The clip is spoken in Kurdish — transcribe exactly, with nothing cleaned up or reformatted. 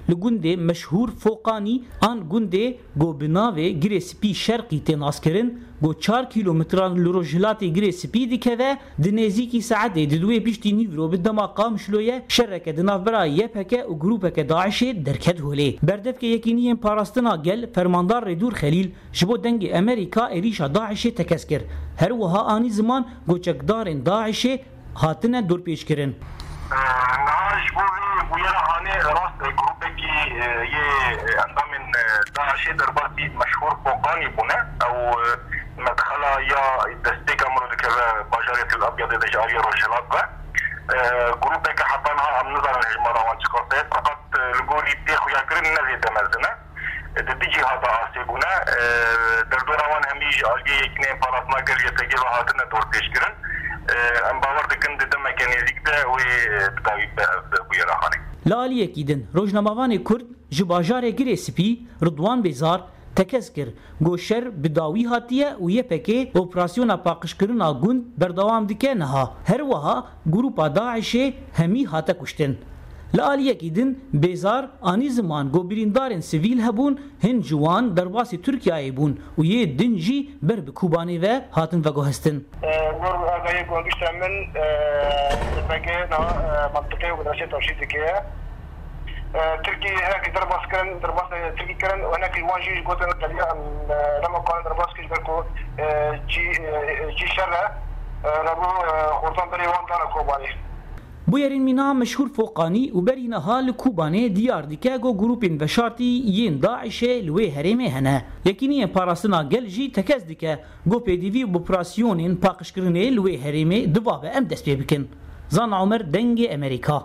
Li gundê meşhûr Foqanî an gundê ku bi navê Girê Spî Şerqî tê naskirin, ku çar kîlometran li rojhilatê Girê Spî dikeve, di nêzîkî saetê di duê piştî nîvro bi dema Qamişloyê şereke di navbera Y P G û grûpeke DAIŞê derket holê. Berdevkê Yekîniyên Parastina Gel, Fermandar Rêdûr Xelîl, ji bo Dengê Amerîka êrîşa DAIŞê tekez kir. Her wiha anî ziman ku çekdarên DAIŞê hatine dorpêçkirin. Niha ji bo vê bûyera hanê rast e, grûpekî, e, yê, e, endamên, e, DAIŞê derbasî meşhûr Foqanî bûne. Ew, e, medxela ya destpêka mirov dikeve bajarê Tel Abyadê de ji aliyê rojhilat ve. E, grûpeke heta niha em nizanin hejmara wan çiqas e, feqet, e, li gorî tê xuyakirin ne zêde mezin e. Di du cîha de asê bûne. E, derdora wan hemî ji aliyê Yekîneyên Parastina Gel Y P G ve hatine dorpêçkirin. E, em bawer dikin di demeke nêzîk de wê, e, bi dawî bibe ev bûyera hanê. Li aliyekî din, rojnamevanê Kurd ji bajarê Girê Spî, Ridwan Bêzar, tekez kir ku şer bi dawî hatiye û Y P G operasyona paqijkirina gund berdewam dike niha. Her wiha grûpa DAIŞê hemî hate kuştin. Li aliyekî din, Bêzar anî ziman ku birîndarên sivîl hebûn, hin ji wan derbasî Tirkiyeyê bûn û yê din jî ber bi Kobanê ve hatin veguhestin. E, gor agahiyê ku gişte min, e, Y P G niha, e, mentiqê û medresê tevşîr dike. E, Tirkî hinekî derbas kirin, derbas, e, Tirkî kirin û hinekî wan jî gotin, teliya em, e, dema karin derbas kirin, ji ber ku, e, cî, e, cî şer e, e, rebû, e, xortan berê wan dane Kobanê. Bûyerên mîna meşhûr Foqanî û berî niha li Kobanê diyar dike ku grûpên veşartî yên DAIŞê li wê herêmê hene. Yekîniyên Parastina Gel jî tekez dike ku pêdivî bi operasyonên paqijkirinê li wê herêmê divabe em dest pê bikin. Zana Omer, Dengê Amerîka.